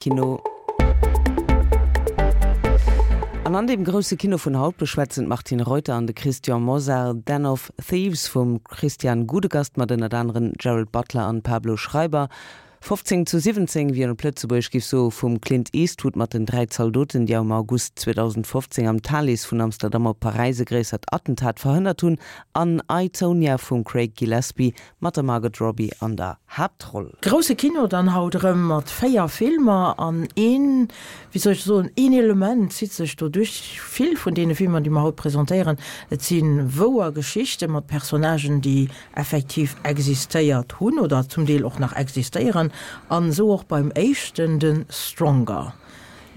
Kino. An an deem grousse Kino vun haut beschwätzen d'Martine Reuter an de Christian Mosar Den of Thieves vum Christian Gudegast mat ënnert aneren Gerald Butler an Pablo Schreiber. 15 zu 17, wéi een op Lëtzebuergesch giff soe, vum Clint Eastwood mat den 3 Zaldoten, déi am August 2015 am Thalys vun Amsterdam op Paräis e gréissert Attentat verhënnert hunn, an I, Tonya vum Craig Gillespie Mat der Margot Robbie an der Haaptroll. Grousse Kino dann haut erëm mat 4 Filmer an een, wéi soll ech soen, een Element zitt sech do duerch vill vun deene Filmer, déi mer haut presentéieren. Et si wouer Geschichte mat Personnagen, déi effektiv existéiert hunn oder zum Deel och nach existéieren an esou och beim éischten, de Stronger.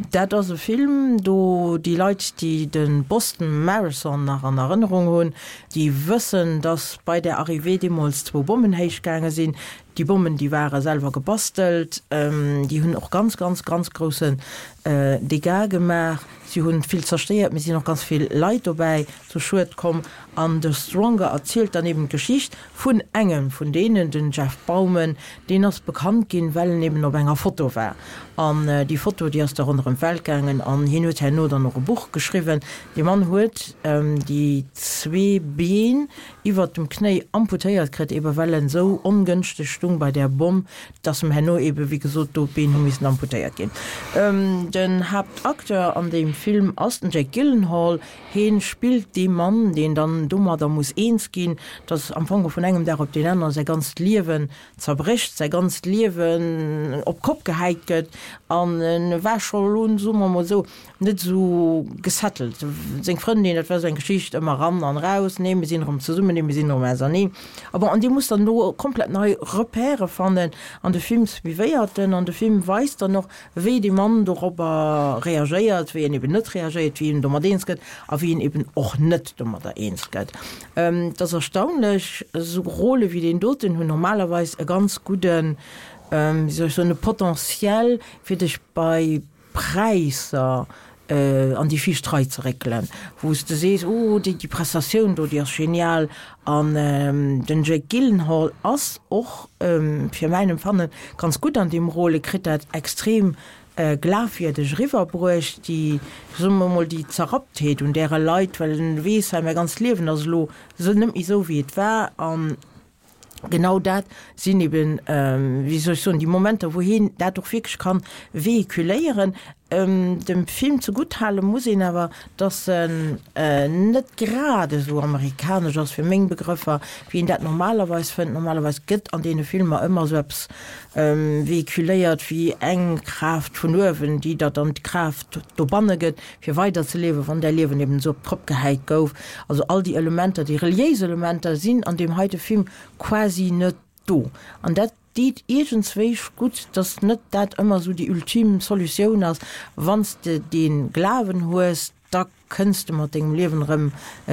Dat ass e Film, do déi Leit, déi de Boston Marathon nach an Erënnerung hunn, déi wëssen, dass bei där Arrivée deemools zwou Bommen héich gaange sinn. Déi Bommen, déi ware selwer gebastelt, déi hunn och ganz, ganz, ganz groussen Dégâts gemaach. Si hunn vill zerstéiert, mee sinn och ganz vill Leit dobäi zu Schued komm. An The Stronger erzielt dann eben d'Geschicht vun engem vun deenen, den Jeff Bauman, deen ass bekannt ginn, well en eben op enger Foto war. An déi Foto, déi ass da ronderëm d'Welt gaangen an hien huet herno dann och e Buch geschriwwen. Dee Mann huet déi zwee Been iwwert dem Knéi amputéiert kritt, ebe well en esou ongënschteg stung bei där Bomm, dass em herno ebe wéi gesot do d'Been hu missen amputéiert ginn. Den Haaptacteur an deem Film ass den Jake Gyllenhaal. Heen spillt dee Mann, deen dann domadder muss eens ginn, dass am Fong vun engem Dag op deen anere säi ganzt Liewen zerbrécht, säi ganzt Liewen op d'Kopp gehäit gëtt. An e war scho elo, soe mer emol esou, net esou gesettelt. Seng Frëndin, dat war esou eng Geschicht, ëmmer eran an eraus, nee mir sinn erëm zesummen, nee mir sinn erëm auserneen. A bon, an dee muss dann elo komplett nei Repèrë fannen. An de Film suivéiert en an de Film weist dann och, wéi dee Mann dorobber reagéiert, wéi en eben net reagéiert, wéi en domat eens gëtt a wéi en eben och net domadder eens gëtt. Et ass erstaunlech, esou Rôle wéi deen doten hunn normalerweis e ganz gudden, wéi soll ech soen, e Potentiel, fir dech bei Präisser an déi viischt Rei ze réckelen, wou s de sees, oh déi Prestatioun do, déi ass genial. An den Jake Gyllenhaal ass och fir mäin Empfannen ganz gutt an deem Rôle, e kritt dat extrem glafwierdeg eriwwerbruecht, déi, soe mer emol, déi Zerrapptheet un där e leit, well en weess, hei mäi ganzt Liewen ass elo net méi esou wéi et war. An genau dat sinn eben, wéi soll ech soen, déi Momenter, wou hien dat och wierklech kann véhiculéieren. Dem Film zegutt hale muss een awer, dass en net grad esou amerikanesch ass, fir meng Begrëffer, wéi een dat normalerweis fënnt. Normalerweis gëtt an deene Filmer ëmmer esou eppes véhiculéiert wéi eng Kraaft vun uewen, déi der dann d'Kraaft dobanne gëtt, fir weider ze liewen, wann däi Liewen eben esou op d'Kopp gehäit gouf. Also all déi Elementer, déi reliéis Elementer sinn an deem heite Film quasi net do. An dat deet iergendswéich gutt, dass net dat ëmmer esou déi ultime Solutioun ass, wann s de dee Glawen hues, da kënns de mat dengem Liewen erëm,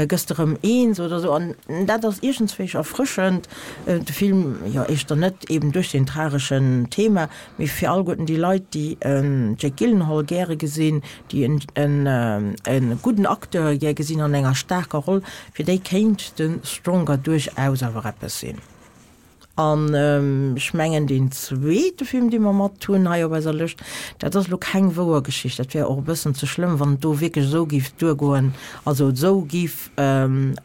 gëss de erëm eens oder esou. An dat ass iergendswéich erfrëschend. De Film, jo éischter net eben duerch deen trageschen Thema, Mee fir alleguerten déi Leit, déi en Jake Gyllenhaal gäre gesinn, déi en e gudden Acteur gär gesinn an enger staarker Roll, fir déi kéint de Stronger duerchaus awer eppes sinn. An ech mengen, deen zweete Film, dee mer mat hunn hei op eiser Lëscht, dat ass elo keng wouer Geschicht. Dat wär och e bëssen ze schlëmm, wann et do wierklech esou géif duergoen, also esou géif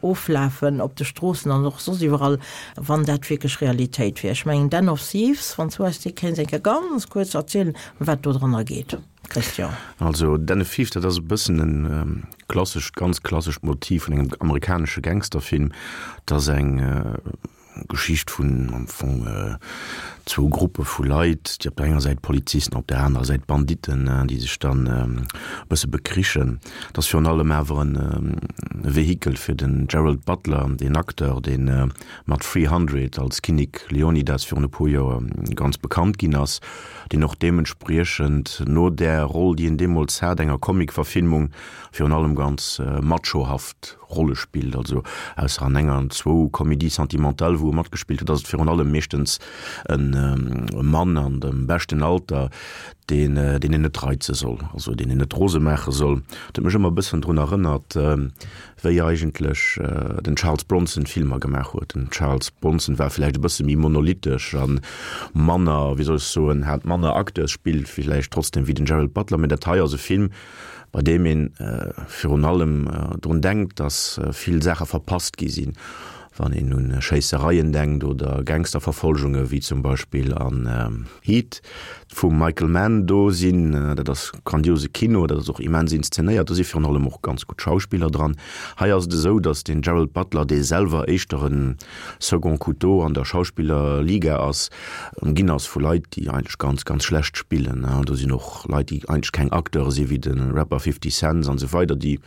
oflafen op de Stroossen an och soss iwwerall, wann dat wierklech Realitéit wier. Ech mengen Den of Thieves, wann s du eis dee kéints eng Kéier ganz kuerz erzielen, ëm wat do dranner geet, Christian. Also Den of Thieves, dat ass e bëssen e klassescht, ganz klassescht Motiv vun engem amerikanesche Gangsterfilm. Et ass eng Geschicht vun am Fong zwou Gruppe vu Leit, déi op der enger Säit Polizisten, op der anerer Säit Banditten, déi sech dann e bësse bekrichen. Et ass virun allem awer e Vehikel fir den Gerald Butler, deen Acteur, dee mat 300 als Kinnek Leonidas virun e puer Joer ganz bekannt ginn ass, deen och deementspriechend no där Roll, déi en deemools hat, enger Comic-Verfilmung, virun allem ganz machohaft Rolle spillt, also ausser an enger an zwou Comédies sentimentales, wou. wou e matgespillt huet, ass et virun allem meeschtens e Mann an dem beschten Alter, deen deen een net reize soll, also deen een net rose maache soll. Dat huet mech ëmmer e bëssen drun erënnert, wéi eigentlech den Charles Bronson Filmer gemaach huet. Den Charles Bronson war villäicht e bësse méi monolithesch a manner, wéi soll ech soen, hat manner Acteursspill villäicht trotzdem wéi den Gerald Butler, mä dat hei ass e Film, bei deem ee virun allem drun denkt, datt vill Saache verpasst gi sinn, wann een un Schéissereien denkt oder Gangsterverfolgunge wéi zum Beispill an Heat. Vum Michael Mann, do sinn, dat ass grandiose Kino, dat ass och immens inszenéiert, do si virun allem och ganz gutt Schauspiller dran. Hei ass et esou, datt den Gerald Butler, dee selwer éischter e Second Couteau an der Schauspillerliga ass, ëmginn ass vu Leit, déi eigentlech ganz, ganz schlecht spillen. Do sinn och Leit, déi eigentlech keng Acteure sinn, wéi de Rapper 50 Cent an esou weider, déi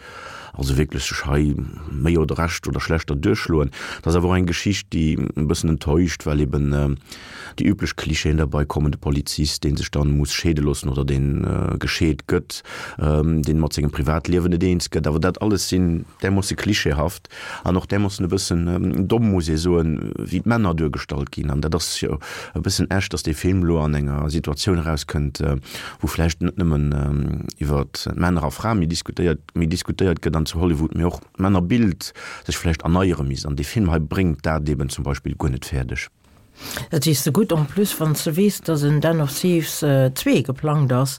also wierklech sech hei méi oder recht oder schlechter duerchschloen. Dat ass awer och eng Geschicht, déi e bëssen enttäuscht, well eben déi üblech Klischeeën derbei kommen, de Polizist, dee sech dann muss scheede loossen oder dee gescheet gëtt, deen mat sengem Privatliewen net eens gëtt. Awer dat alles sinn därmoosse klischeehaft an och därmoossen e bëssen domm, muss ee soen, wéi d'Männer duergestallt ginn. An dat ass jo e bëssen echt, dass dee Film elo an enger Situatioun erauskënnt, wou vläicht net nëmmen iwwer Männer a Frae méi diskutéiert, méi diskutéiert gëtt an zu Hollywood, mee och d'Männerbild sech vläicht erneiere misst. An dee Film hei bréngt dat eben zum Beispill guer net fäerdeg. Dat sees de gutt, en plus wann s de weess, dass en Den of Thieves 2 geplangt ass,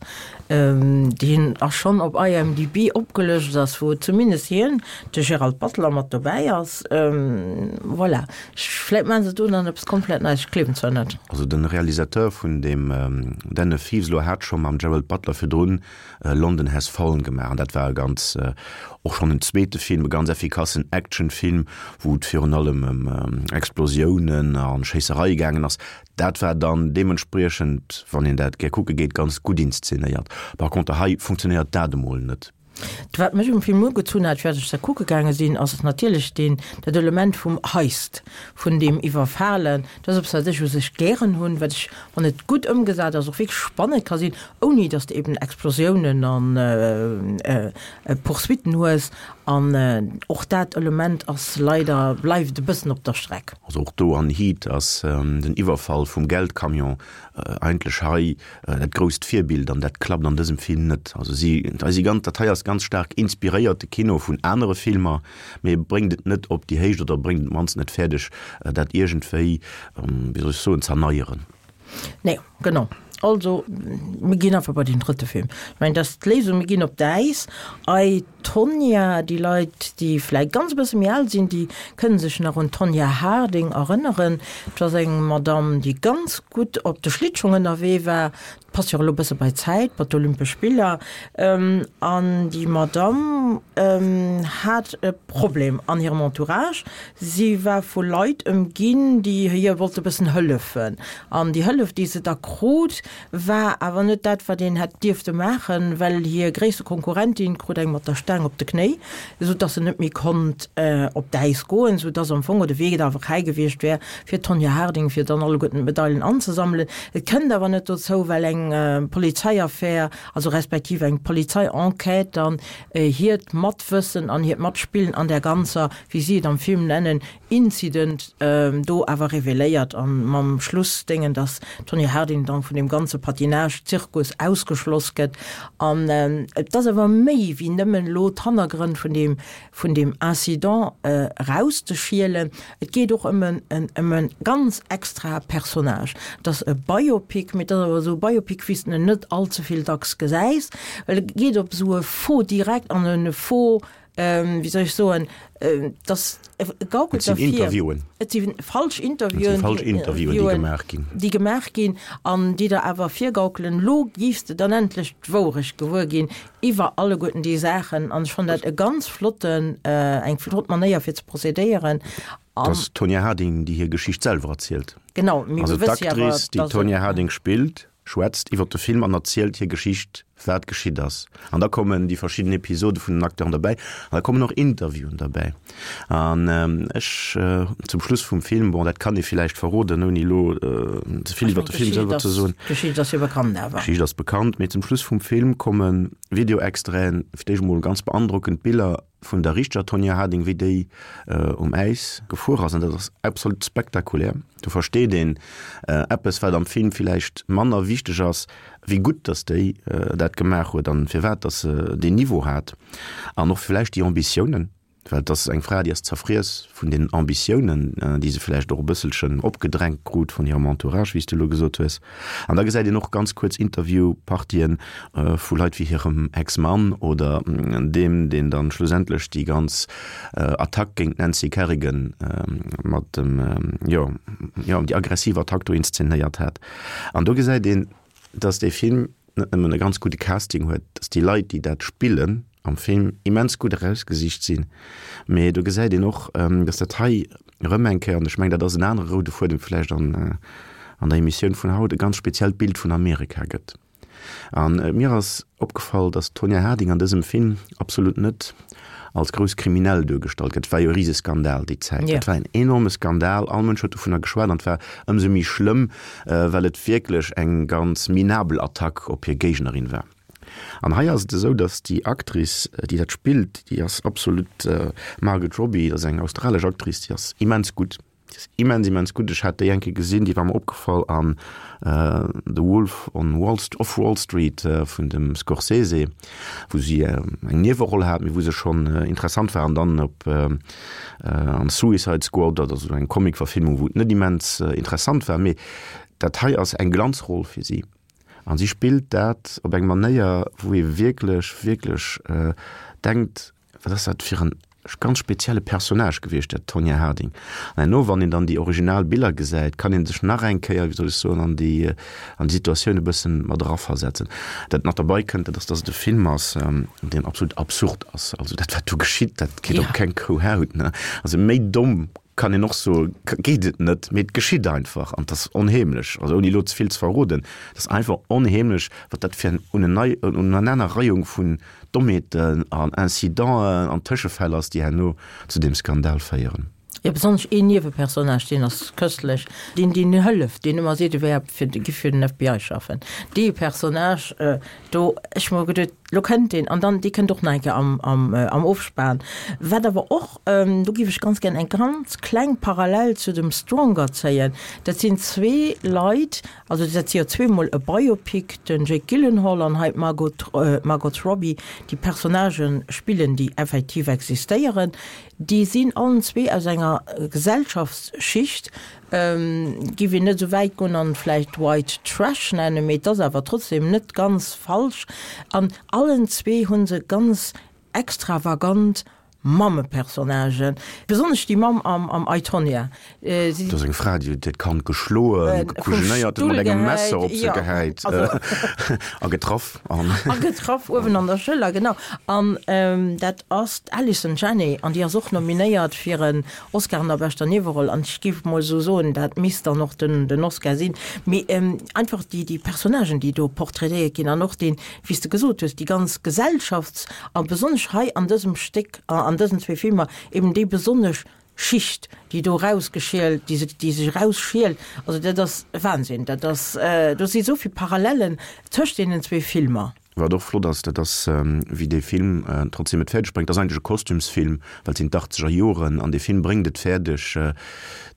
deen a schonn op IMDb opgelëscht ass, wou zumindest hien, de Gerald Butler, mat dobäi ass. Voilà, vläit maache se do dann eppes komplett Neies, ech gleewen zwar net. Also de Realisateur vun deem Den of Thieves elo hat scho mam Gerald Butler virdrun London Has Fallen gemaach an dat war e ganz, och schonn en zweete Film, e ganz effikassen Actionfilm, wou et virun allem ëm Explosiounen a Schéissereie gaangen ass. Dat war dann deementspriechend, wann een dat gär kucke geet, ganz gutt inszenéiert. Par contre hei funktionéiert dat emol net. Wat mech um Film ugezunn hat, firwat ech se kucke gaange sinn, ass natierlech deen, dat Element vum Heist, vun deem Iwwerfalen. Dat ass eppes, wat ech u sech gären hunn, wat ech, wann et gutt ëmgesat ass, och wierklech spannend ka sinn, ouni dass de eben Explosiounen an Poursuitten hues. An och dat Element ass leider, bleift e bëssen op der Streck. Also och do an Heat ass den Iwwerfall vum Geldcamion eigentlech hei dat grousst Virbild an dat klappt an dësem Film net. Also si, hei si ganz, dat hei ass ganz staark inspiréiert, de Kino vun anere Filmer, mee e bréngt et net op déi Héicht oder bréngt et mannst net fäerdeg, dat iergendwéi, wéi soll ech soen, z'erneieren. Nee, genau. Also, mir ginn einfach bei den drëtte Film. Ech mengen, dat ass d'Léisung. Mir ginn op d'Äis. I, Tonya, déi Leit, déi vläicht ganz e bësse méi al sinn, déi kënne sech nach un d'Tonya Harding erënneren. Dat ass eng Madamm, déi ganz gutt op de Schlittschong ënnerwee war. Passt jo och elo e bësse bei d'Zäit, bei d'Olympesch Spiller. An déi Madamm hat e Problem an hirem Entourage. Si war vu Leit ëmginn, déi hir wollte bëssen hëllefen. An déi Hëllef, déi se da krut, war awer net dat, wat een hätt dierfte maachen, well hir gréisste Konkurrentin krut eng mat der Staang op de Knéi, esou dass se net méi konnt op d'Äis goen, esou dass am Fong de Wee da fräi gewiescht wär fir d'Tonya Harding, fir dann alleguerten d'Medailen anzesammelen. Et kënnt awer net dozou, well eng Polizeiaffär, also respektiv eng Polizeienquête dann hiert Matwëssen an hiert Matspillen an där ganzer, wéi si et am Film nennen, Incident do awer reveléiert an mam Schluss déngen, dass d'Tonya Harding dann vun deem ganze Patinage-Zirkus ausgeschloss gëtt. An et ass awer méi wéi nëmmen elo d'Hannergrënn vun deem, vun deem Incident erauszeschielen. Et geet och ëm en, ëm e ganz extra Personnage. Et ass e Biopic, mee et ass awer esou e Biopic, wéi s de en net all ze vill dacks gesäis, well e geet op esou e Faux direct an e Faux wéi soll ech soen, dass e gaukelt der vir. Et sinn Interviewen. Et si falsch Interviewen. Et si falsch Interviewen, déi gemaach ginn. Déi gemaach ginn an déi der awer virgaukelen, elo giffs de dann endlech d'Wourecht gewuer ginn iwwer alleguerten déi Saachen. An ech fannen dat e ganz flotten, eng flott Manéier fir ze procédéieren. Et ass d'Tonya Harding, déi hir Geschicht selwer erzielt. Genau, mee mir wësse jo awer, dass. Also d'Actrice, déi d'Tonya Harding spillt, schwätzt iwwer de Film an erzielt hir Geschicht, wat geschitt ass. An da kommen déi verschidden Episode vun den Acteuren derbäi an da kommen och Interviewen derbäi. An ech, zum Schluss vum Film, bon, dat kann ee villäicht verroden, ouni elo ze vill iwwer de Film selwer ze soen. D'Geschicht ass jo bekannt awer. D'Geschicht ass bekannt, mee zum Schluss vum Film komme Video-Extraiten, fir d'éischt emol ganz beandrockend Biller. vun der richteger Tonya Harding, wéi déi um Äis gefuer ass, an dat ass absolut spektakulär. Do versteet een eppes, wat am Film villäicht manner wichteg ass, wéi gutt datt déi dat gemaach huet an firwat datt se deen Niveau hat an och villäicht déi Ambitiounen. Well et ass eng Fra, déi ass zerfriess vun den Ambitiounen, déi se vläicht och e bësselchen opgedrängt krut vun hirem Entourage, wéi s de elo gesot hues. An da gesäit een och ganz kuerz Interviewpartien vu Leit wéi hirem Ex-Mann oder deem, deen dann schlussendlech déi ganz Attack géint d'Nancy Kerrigan mat dem, jo, jo, déi aggressiv Attack do inszenéiert hat. An do gesäit een, dass dee Film net nëmmen e ganz gudde Casting huet, dass déi Leit, déi dat spillen am Film, immens gutt erausgesicht sinn, mee do gesäit een och, dass dat hei erëm eng Kéier, an ech mengen, dat ass en anere roude Fuedem vläicht an an der Emissioun vun haut, e ganz speziellt Bild vun Amerika gëtt. A mir ass opgefall, dass d'Tonya Harding an dësem Film absolut net als grouss Kriminell duergestallt gëtt. Et war jo e Riseskandal déi Zäit. Dat war en enorme Skandal, all Mënsch huet dovunner geschwat an et war ëmsou méi schlëmm, well et wierklech eng ganz minabel Attack op hir Géignerin war. An hei ass et esou, datt déi Actrice, déi dat spillt, déi ass absolut, Margot Robbie, dat ass eng australesch Actrice, déi ass immens gutt. Déi ass immens, immens gutt. Ech hat déi eng Kéier gesinn, déi war mer opgefall an The Wolf on Wall, of Wall Street vun dem Scorsese, wou si eng Nieweroll hat, mee wou se schonn interessant war. An dann op an Suicide Squad, dat ass esou eng Comic-Verfilmung, wou et net immens interessant war, mee dat hei ass eng Glanzroll fir si. An si spillt dat op eng Manéier, wou ee wierklech, wierklech denkt, Wat ass dat fir en ganz spezielle Personnage gewiescht, dat Tonya Harding. An herno, wann een dann déi original Biller gesäit, kann ee sech nach eng Kéier, wéi soll ech soen, an déi, an déi Situatioun e bëssen mat eraversetzen. Dat nach derbei kënnt, dat ass, dass et e Film ass, deen absolut absurd ass. Also dat, wat do geschitt, dat geet op keng Kou Haut, ne? Also méi domm kann een och soen, geet et net, mee et geschitt einfach an et ass onheemlech, also ouni elo ze vill ze verroden, et ass einfach onheemlech, wat dat fir eng Unenanerreihung vun Dommheeten an Incidenten an Tëschefäll ass, déi herno zu deem Skandal féieren. Jo, besonnesch een Niewepersonnage, deen ass köstlech, deen, deen hëlleft, deen ëmmer seet, e wär fir, giff fir den FBI schaffen. Dee Personnage do, ech hu mer geduet, lo kënnt deen, an dann, dee kënnt och nach eng Kéier am, am, am Ofspan. Wat awer och, do giff ech ganz gär eng ganz kleng Parallel zu dem Stronger zéien, dat sinn zwee Leit, Also dat si jo zweemol e Biopic, den Jake Gyllenhaal an hei d'Margot d'Margot Robbie, déi Personnagen spillen, déi effektiv existéieren. Déi sinn allen zwee aus enger Gesellschaftsschicht, giff een net esou wäit goen an vläicht White Trash nennen, mee et ass awer trotzdem net ganz falsch. An allen zwee hu se ganz extravagant Mammepersonnagen, besonnesch déi Mamm am I, Tonya. Dat ass eng Fra, déi huet hiert Kand geschloen, gekujenéiert, huet mat engem Messer op se gehäit a getraff. A getraff, uewen an der Schëller, genau. An dat ass d'Allison Janney an déi ass och nominéiert fir en Oscar an der beschter Nieweroll. An ech géif mol esou soen, dat misst dann och den Oscar sinn. Mee einfach déi Personnagen, déi do portraitéiert ginn an och deen, wéi s de gesot hues, déi ganz Gesellschafts-, a besonnesch hei an dësem Stéck, an dësen zwee Filmer, eben déi besonnesch Schicht, déi do erausgeschielt, déi sech, déi sech erausschielt, also dat ass Wahnsinn, dat ass, do si esou vill Parallellen tëscht deenen zwee Filmer. Wat och flott ass, dat ass, wéi dee Film trotzdem et fäerdeg bréngt, dat ass eigentlech e Kostümsfilm, well et sinn d'Achtzeger Joren, an dee Film bréngt et fäerdeg,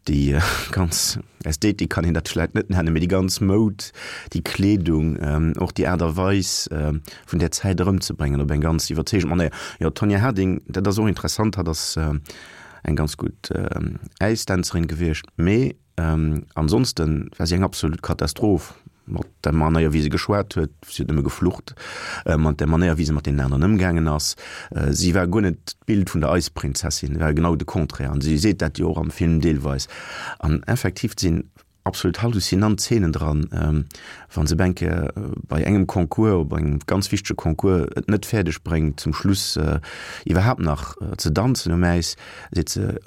déi ganz Ästhetik kann een dat vläit net nennen, mee déi ganz Moud, déi Kleedung, och déi Aart a Weis vun där Zäit erëmzebréngen op eng ganz iwwerzeegend Manéier. Jo, d'Tonya Harding, dat ass och interessant, hatt ass eng ganz gutt Äisdänzerin gewiescht, mee ansonsten war si eng absolut Katastroph. Mat der Manéier wéi se geschwat huet, si huet nëmme geflucht, mat der Manéier wéi se mat deenen aneren ëmgaangen ass. Si war guer net d'Bild vun der Eisprinzessin, war genau de Contraire an si seet dat jo och am Film deelweis. An effektiv sinn absolut halluzinant Zeenen dran, wa se eng Kéier bei engem Concours, bei engem ganz wichtege Concours et net fäerdeg bréngt zum Schluss iwwerhaapt nach ze danzen um Äis, seet se,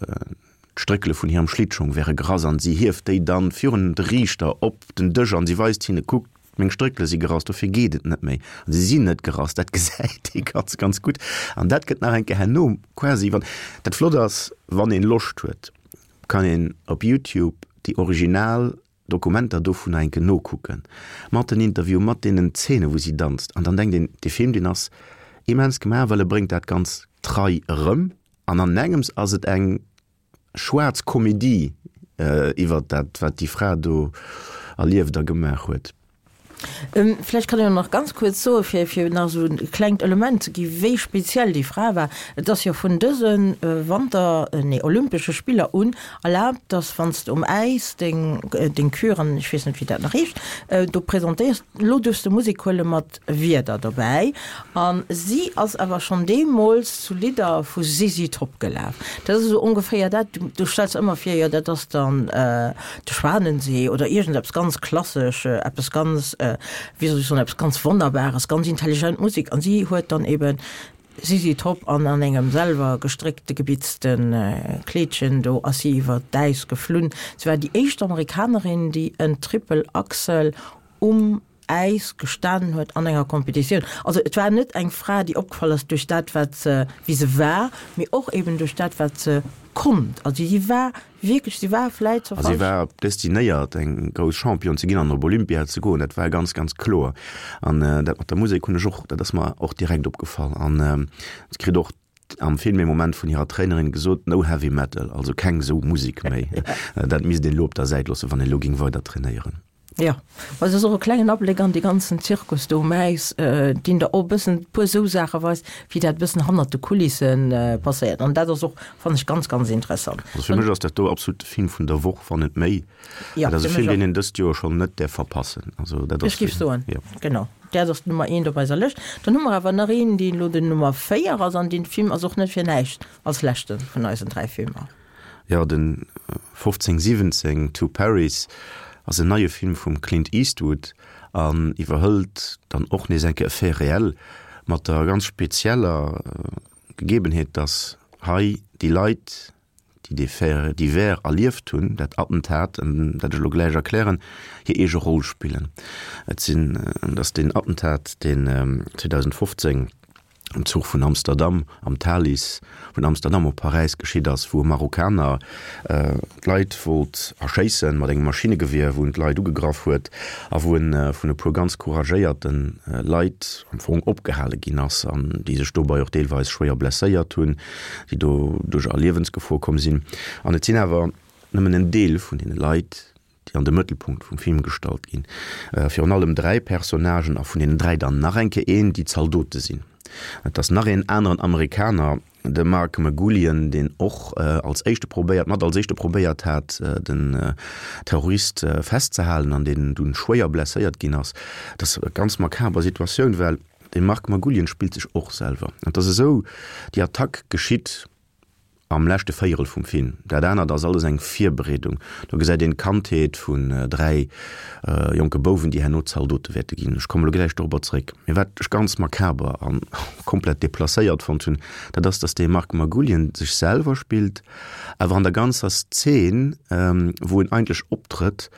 D'Stréckele vun hirem Schlittschong wäre gerass an si hieft déi dann virun de Riichter op den Dësch an si weist hinne, Kuckt, meng Stréckele si gerass, dofir geet et net méi. An si sinn net gerass, dat gesäit ee ganz, ganz gutt. An dat gëtt nach eng Kéier herno quasi, wann dat flott ass, wann een Loscht huet, kann een op Youtube déi original Dokumenter dovunner enke nokucken, mat den Interviewen, mat deenen Zeenen, wou si danzt. An dann denkt een, dee Film, deen ass. immens gemaach, well e bréngt dat ganz trei erëm an an engems ass et eng schwaarz Komedie iwwert dat, wat déi Fra do erlieft a gemaach huet. Vläicht kann een och nach ganz kuerz soen, fir, fir nach esou e klengt Element ze gi wéi speziell déi Fra war, Et ass jo vun dëse Wanter-, nee, Olympesche Spiller un erlaabt, dass wann s de um Äis deng, deng Kür an ech weess net wéi dat nach heescht, do presentéiers, elo duerfs de Musek huele mat Wierder dobäi. A si ass awer schonn deemools zu Lidder vu ZZ Top gelaf. Dat ass esou ongeféier dat, du stells ëmmer vir, jo dat ass dann de Schwanensee oder iergendeppes ganz klassesch, eppes ganz, wéi soll ech soen, eppes ganz Wonnerbares, ganz intelligent Musek. An si huet dann eben ZZ Top an an engem selwer gestréckte gebitzte Kleedchen, do ass si iwwer d'Äis geflunn. Si war déi éischt Amerikanerin, déi en Triple Axel um Äis gestanen huet an enger Competitioun. Also et war net eng Fra, déi opgefall ass duerch dat, wat se, wéi se war, mee och eben duerch dat, wat se konnt. Also si war wierklech, si war vläit zur A si war destinéiert, eng grouss Championne ze ginn an op Olympia ze goen. Dat war ganz, ganz kloer. An dat mat der Musek hunn ech och, dat ass mer och direkt opgefall. An se kritt och am Film ee Moment vun hirer Trainerin gesot, No heavy metal, also keng esou Musek méi. Dat misst een elo op der Säit loossen, wann een elo géing weider trainéieren. Jo, ma et ass och e klengen Abléck an dee ganzen Zirkus do um Äis, deen der och e bëssen e puer esou Saache weist, wéi dat e bëssen hannert de Kulisse passéiert. An dat ass och, fannen ech, ganz, ganz interessant. Also fir mech ass dat do absolut de Film vun der Woch, wann net méi. Jo, Dat ass e Film, deen een dëst Joer schonn net däerf verpassen. Also dat ass. Ech géif soen, genau, dat ass d'Nummer eent op eiser Lëscht. Dann hu mer awer nach een, deen elo den Nummer 4 ass, an dee Film ass och net fir näischt als leschte vun eisen 3 Filmer. Jo, den 1517 to Paris ass en neie Film vum Clint Eastwood an iwwerhëlt dann och nees eng Kéier e Fait réel mat der ganz spezieller Gegebenheet, dass hei déi Leit, déi dee Fait divers erlieft hunn, dat Attentat, dat ech elo gläich erklären, hir eege Roll spillen. Et sinn, et ass deen Attentat, deen 2015 am Zuch vun Amsterdam, am Thalys vun Amsterdam op Paräis geschitt ass, wou e Marokkaner d'Leit wollt erschéissen mat engem Maschinnegewier, wou en d'Leit ugegraff huet a wou en vun e puer ganz couragéierte Leit am Fong opgehale ginn ass an déi sech dobei och deelweis schwéier blesséiert hunn, déi doduerch a Liewensgefor komm sinn. An et sinn awer nëmmen en Deel vun deene Leit, déi an de Mëttelpunkt vum Film gestallt ginn. Virun allem 3 Personnagen, a vun deenen 3 dann nach eng Kéier een, déi Zaldote sinn. Et ass nach een aneren Amerikaner, de Mark Margoulian, deen och als éischte probéiert, mat als éischte probéiert hat, den Terrorist festzehalen an deen dunn schwéier blesséiert ginn ass. Et ass e ganz makaber Situatioun, well de Mark Margoulian spillt sech och selwer. Et ass esou, déi Attack geschitt Am leschte Véierel vum Film. Dat anert ass alles eng Virbereedung. Do gesäit een d'Kandheet vun 3 jonke Bouwen, déi herno Zaldote wäerte ginn. Ech komme lo gläich dorobber zeréck. Mee wat ech ganz makaber an komplett deplacéiert fonnt hunn, dat ass, dass dee Mark Margoulian sech selwer spillt, awer an der ganzer Szen, wou en eigentlech optrëtt,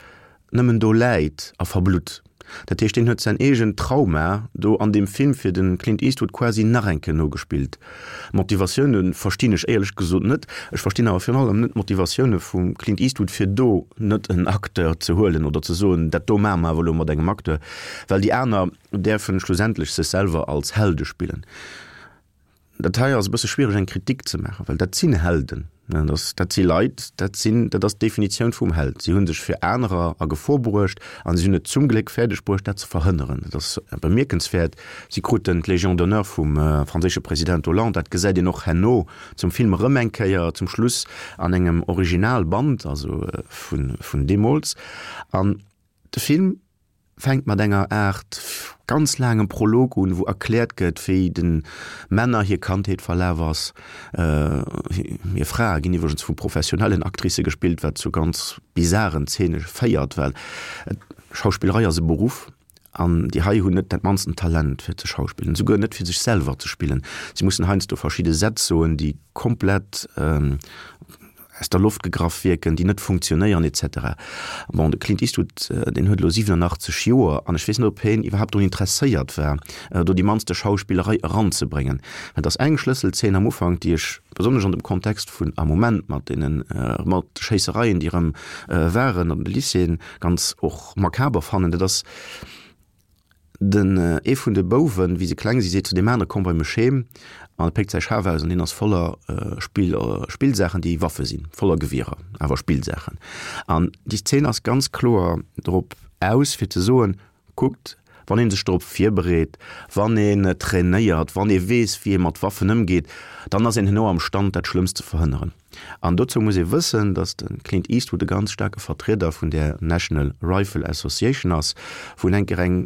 nëmmen do läit a verblutt. Dat heescht, deen huet säin eegent Trauma do an deem Film fir de Clint Eastwood quasi nach eng Kéier nogespillt. D'Motivatioune verstinn ech éierlech gesot net. Ech verstinn awer virun allem net d'Motivatioune vum Clint Eastwood fir do net en Acteur ze huelen oder ze soen, dat do maache mer awer elo mat engem Acteur, well déi aner däerfen schlussendlech sech selwer als Helde spillen. Dat hei ass e bësse schwiereg eng Kritik ze maachen, well dat sinn Helden, dat si Leit, dat sinn, dat ass d'Definitioun vum Held. Si hu sech fir anerer a Gefor bruecht a si hunn et zum Gléck fäerdeg bruecht, dat ze verhënneren. Dat ass bemierkenswäert. Si kruten d'Légion d'honneur vum franséische President Hollande. Dat gesäit een och herno zum Film erëm eng Kéier zum Schluss an engem Originalband, also vun deemools. An de Film fänkt mat enger Aart ganz laangem Prolog un, wou erkläert gëtt, wéi de Männer hir Kandheet verlaf ass. Hir Frae ginn iwwregens vu professionellen Actricë gespillt, wat zu ganz bizaren Zeene féiert, well Schauspillerei ass e Beruff an déi hei hunn net dat mannsten Talent fir ze schauspillen, souguer net fir sech selwer ze spillen. Si mussen heiansdo verschidde Sätz soen, déi komplett aus der Loft gegraff wierken, déi net funktionéieren et cetera. Bon, de Clint Eastwood, deen huet elo 87 Joer an ech weess net, ob hien iwwerhaapt drun interesséiert war, do déi mannste Schauspillerei eranzebréngen. Et ass eng Schlësselzeen am Ufank, déi ech besonnesch an dem Kontext vun am Moment mat deene mat Schéissereien, déi erëm waren an de Lycéeën, ganz och makaber fannen. Dat ass. Den ee vun de Bouwen, wéi se kleng si, seet zu deem anere, Komm bei mech heem. An e péckt säi Schaf aus an deen ass voller Spill, Spillsaachen, déi Waffe sinn, voller Gewierer, awer Spillsaachen. An déi Szen ass ganz kloer drop aus, fir ze soen, Kuckt, wann ee sech drop virbereet, wann een trainéiert, wann ee weess, wéi ee mat Waffen ëmgeet, dann ass een herno am Stand, dat Schlëmmst ze verhënneren. An dozou muss ee wëssen, datt de Clint Eastwood e ganz staarke Vertrieder vun där National Rifle Association ass, wou en eng Kéier eng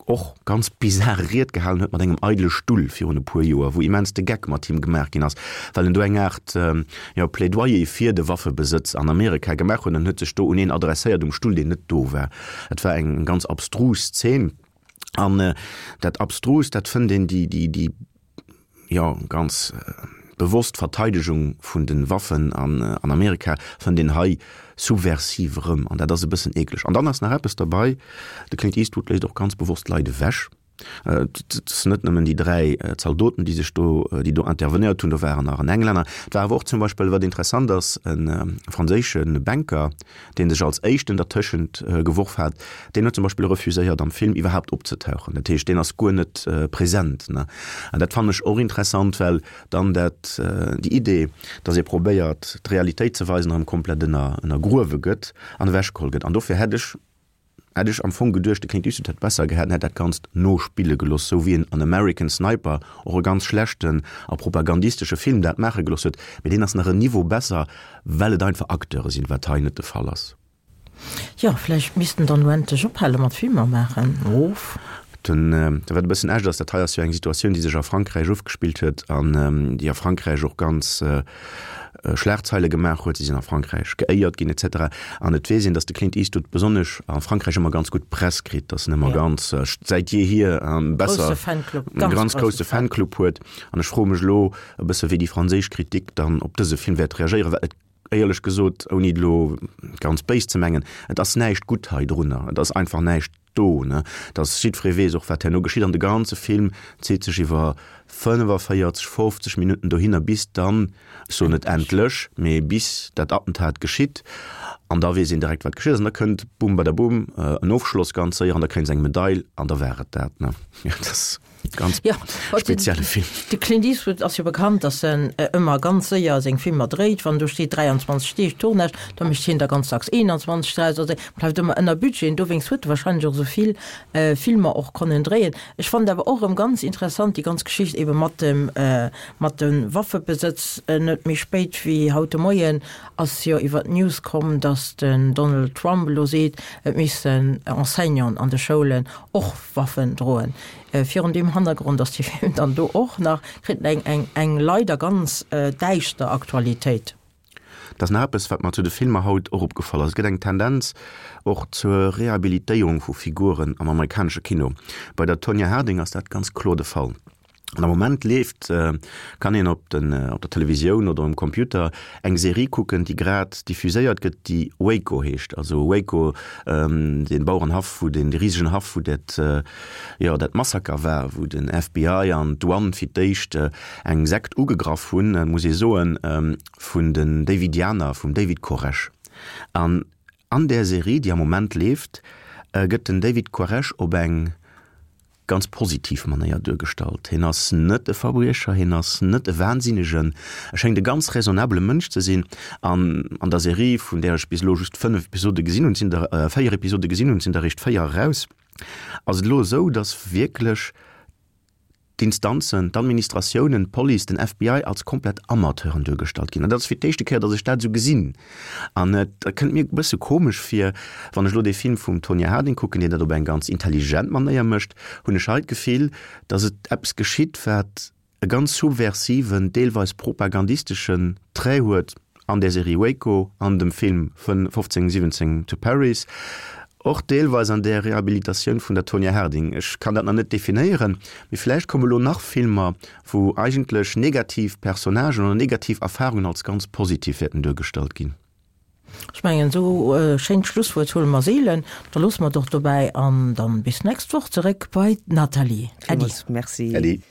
och ganz bizar Ried gehalen huet mat engem eidele Stull virun e puer Joer, wou immens de Geck mat him gemaach ginn ass, well en do eng Aart, jo, Plädoyer fir de Waffebesëtz an Amerika gemaach huet an huet sech do un een adresséiert um Stull, deen net do war. Et war eng ganz abstrus Zeen. An dat Abstrust, dat fënnt een déi, déi, déi, jo, ganz bewosst Verteidegung vun de Waffen an Amerika fënnt een hei subversiv erëm. An dat ass e bëssen eekleg. An dann ass nach eppes derbei, De Clint Eastwood léisst och ganz bewosst Leit ewech. Et sinn net nëmmen déi 3 Zaldoten, déi sech do, déi do intervenéiert hunn, do waren nach en Englänner. Et war awer och zum Beispill, wat interessant ass, e franséische Banker, dee sech als éischten dertëschent geworf hat, deen huet zum Beispill refuséiert am Film iwwerhaapt opzetauchen. Dat heescht, deen ass guer net present. An dat fannen ech och interessant, well dann dat, déi Idee, datt ee probéiert d'Realitéit ze weisen, erëm komplett ënnergruewe gëtt an ewechgeholl gëtt. An dofir hätt ech Hätt ech am Fong geduecht, de Clint Eastwood hätt besser gehat, en hätt dat Ganzt nospille gelooss, sou wéi en an American Sniper, och e ganz schlechten a propagandistesche Film, dat maache gelooss huet. Mee deen ass nach en Niveau besser, well et einfach Acteure sinn, wat hei net de Fall ass. Jo, vläicht misst en dann elo endlech ophale mat Filmer maachen. Of. Den, wat e bëssen echt ass, dat hei ass jo eng Situatioun, déi sech a Frankräich ofgespillt huet an déi a Frankräich och ganz Schlagzeile gemaach huet. Si sinn a Frankräich geéiert ginn et cetera. An et weess een, datt de Clint Eastwood besonnesch a Frankräich ëmmer ganz gutt Press kritt, datt en ëmmer ganz, säit jeehier, besser, e ganz grousse Fanclub huet. An ech froe mech elo e bësse wéi déi franséisch Kritik dann op dëse Film wäert reagéieren, well et, éierlech gesot, ouni et elo ganz béis ze mengen, et ass näischt gutt hei drunner. Et ass einfach näischt do, ne, dass jiddweree weess och, wat herno geschitt. An de ganze Film zitt sech iwwer 45, 50 Minutten dohinner, bis dann, ech soen net endlech, mee bis dat Attentat geschitt. An da weess een direkt, wat geschitt ass. An da kënnt, bum badaboom, en Ofschloss ganz séier an da kréien se eng Medail an da war et dat, ne. Jo, dat ass. Ganz ja, spezielle Film. De Clint Eastwood ass jo bekannt, datt en ëmmer ganz séier seng Filmer dréit. Wann do steet 23 Deeg Tournage, da mécht hien der ganz dacks 21 draus. Also bleift ëmmer ënner Budget. An dowéinst huet e warscheinlech och esou vill Filmer och konnen dréien. Ech fonnt awer och erëm ganz interessant déi ganz Geschicht ebe mat dem mat dem Waffebesëtz. Net méi spéit wéi haut de Moien ass jo iwwer d'News komm, datt den Donald Trump elo seet, et missten Enseignanten an de Schoulen och Waffen droen. Virun deem Hannergrond ass dee Film dann do och nach, kritt en eng, eng leider ganz däischter Aktualitéit. Et ass nach eppes, wat mer zu de Filmer haut och opgefall ass, Et gëtt eng Tendenz och zur Rehabilitéierung vu Figuren am amerikanesche Kino. Bei der Tonya Harding ass dat ganz kloer de Fall. An am Moment leeft, kann een op den, op der Televisioun oder um Computer eng Serie kucken, déi grad diffuséiert gëtt, déi Waco heescht. Also Waco, dee Bauerenhaff, wou deen, dee risegen Haff, wou dat, jo, dat Massaker war, wou den FBI an d'Douane fir d'éischt eng Sekt ugegraff hunn, muss ee soen, vun den Davidianer, vum David Koresh. An an där Serie, déi am Moment leeft, gëtt den David Koresh op eng ganz positiv Manéier duergestallt. Hien ass net e Verbriecher, hien ass net e Wahnsinnegen, e schéngt e ganz raisonnabele Mënsch ze sinn. An an der Serie, vun där ech bis elo just 5 Episode gesinn hunn, et sinn der 4 Episode gesinn hunn, et sinn der eréischt 4 eraus, ass et elo esou, datt wierklech d'Instanzen, d'Administratiounen, d'Police, den FBI als komplett Amateuren duergestallt ginn. An dat ass fir d'éischte Kéier, datt ech dat esou gesinn. An et kënnt mir e bësse komesch vir, wann ech elo dee Film vum Tonya Harding kucken, deen dat op eng ganz intelligent Manéier mécht, hunn ech hei d'Gefill, datt et eppes geschitt, wat e ganz subversiven, deelweis propagandisteschen Trait huet an där Serie Waco, an dem Film 1517 to Paris, och deelweis an där Rehabilitatioun vun der Tonya Harding. Ech kann dat nach net definéieren, mee vläicht komme lo nach Filmer, wou eigentlech negativ Personnagen oder negativ Erfahrungen als ganz positiv wäerten duergestallt ginn. Ech mengen, esou e schéint Schlusswuert huele mer seelen. Da loosse mer et och dobäi an dann bis nächst Woch zeréck bei d'Nathalie. Äddi. Villmools Merci. Äddi.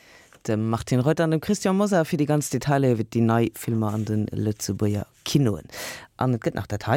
Dem Martine Reuter an dem Christian Mosar fir déi ganz Detailer iwwer déi nei Filmer an de Lëtzebuerger Kinoen. An et gëtt nach dat hei.